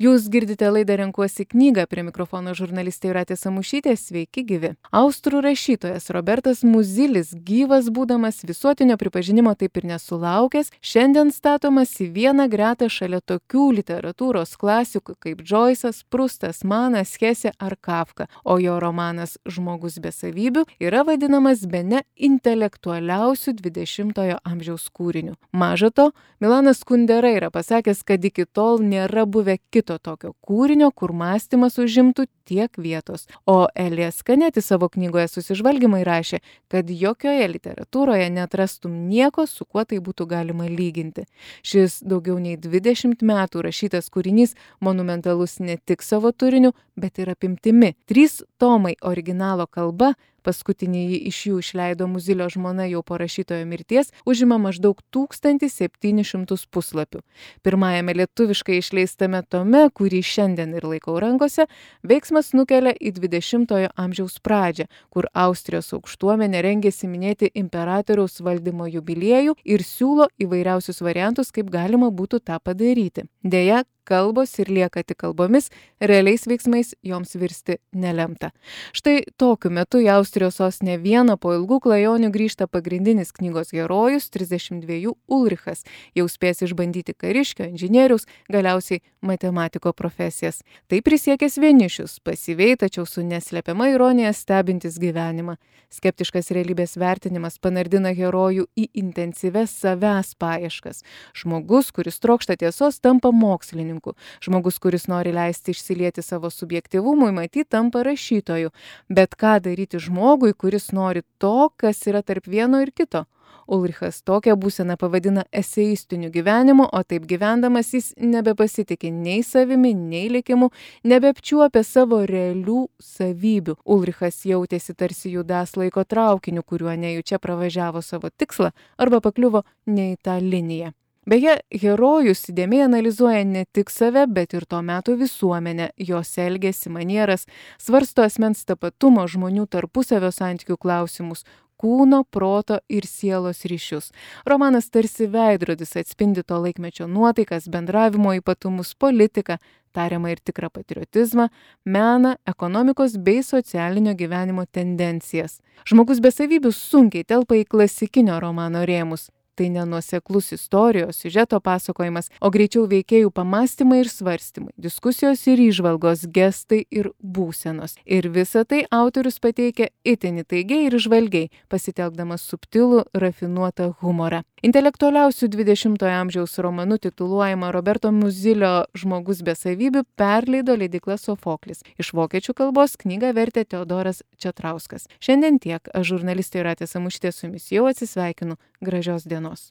Jūs girdite laidą Renkuosi knygą, prie mikrofono žurnalistė Jūratė Samušytė, sveiki gyvi. Austrų rašytojas Robertas Muzilis, gyvas būdamas visuotinio pripažinimo taip ir nesulaukęs, šiandien statomas į vieną gretą šalia tokių literatūros klasikų kaip Džoisas, Prustas, Manas, Hesė ar Kafka, o jo romanas Žmogus be savybių yra vadinamas bene intelektualiausiu 20-ojo amžiaus kūriniu. Maža to, Milanas Kundera yra pasakęs, kad iki tol nėra buvę kito tokio kūrinio, kur mąstymas užimtų tiek vietos. O Elijas Kaneti savo knygoje Susižvalgymai rašė, kad jokioje literatūroje neatrastum nieko, su kuo tai būtų galima lyginti. Šis daugiau nei 20 metų rašytas kūrinys monumentalus ne tik savo turiniu, bet ir apimtimi. 3 tomai originalo kalba, paskutinįjį iš jų išleido Muzilio žmona jau po rašytojo mirties, užima maždaug 1700 puslapių. Pirmajame lietuviškai išleistame tome, kurį šiandien ir laikau rankose, veiksmas nukelia į 20-ojo amžiaus pradžią, kur Austrijos aukštuomenė rengėsi minėti imperatoriaus valdymo jubiliejų ir siūlo įvairiausius variantus, kaip galima būtų tą padaryti. Deja, kalbos ir lieka tik kalbomis, realiais veiksmais joms virsti nelemta. Štai tokiu metu į Austrijos sostinę Vieną po ilgų klajonių grįžta pagrindinis knygos herojus, 32 Ulrichas, jau spės išbandyti kariškio, inžinieriaus, galiausiai matematiko profesijas. Tai prisiekęs vienišius, pasyviai, tačiau su neslepiama ironija stebintis gyvenimą. Skeptiškas realybės vertinimas panardina herojų į intensyves savęs paieškas. Žmogus, kuris trokšta tiesos, tampa mokslininku. Žmogus, kuris nori leisti išsilieti savo subjektyvumui, matyt, tampa rašytoju. Bet ką daryti žmogui, kuris nori to, kas yra tarp vieno ir kito? Ulrichas tokią būseną pavadina eseistiniu gyvenimu, o taip gyvendamas jis nebepasitikė nei savimi, nei likimu, nebeapčiuopė savo realių savybių. Ulrichas jautėsi tarsi judas laiko traukiniu, kuriuo nejučia pravažiavo savo tikslą arba pakliuvo ne į tą liniją. Beje, herojus įdėmiai analizuoja ne tik save, bet ir to meto visuomenę, jos elgesį, manieras, svarsto asmens tapatumo, žmonių tarpusavio santykių klausimus, kūno, proto ir sielos ryšius. Romanas tarsi veidrodis atspindi to laikmečio nuotaikas, bendravimo ypatumus, politiką, tariamą ir tikrą patriotizmą, meną, ekonomikos bei socialinio gyvenimo tendencijas. Žmogus be savybių sunkiai telpa į klasikinio romano rėmus. Tai nenuoseklus istorijos, siužeto pasakojimas, o greičiau veikėjų pamąstymai ir svarstymai, diskusijos ir įžvalgos, gestai ir būsenos. Ir visą tai autorius pateikia itin įtaigiai ir žvalgiai, pasitelkdamas subtilų, rafinuotą humorą. Intelektualiausių 20-ojo amžiaus romanu tituluojama Roberto Muzilio Žmogus be savybių perleido leidykla Sofoklis. Iš vokiečių kalbos knygą vertė Teodoras Četrauskas. Šiandien tiek. Aš žurnalistė Jūratė Samušytė su jumis jau atsisveikinu. Gražios dienos.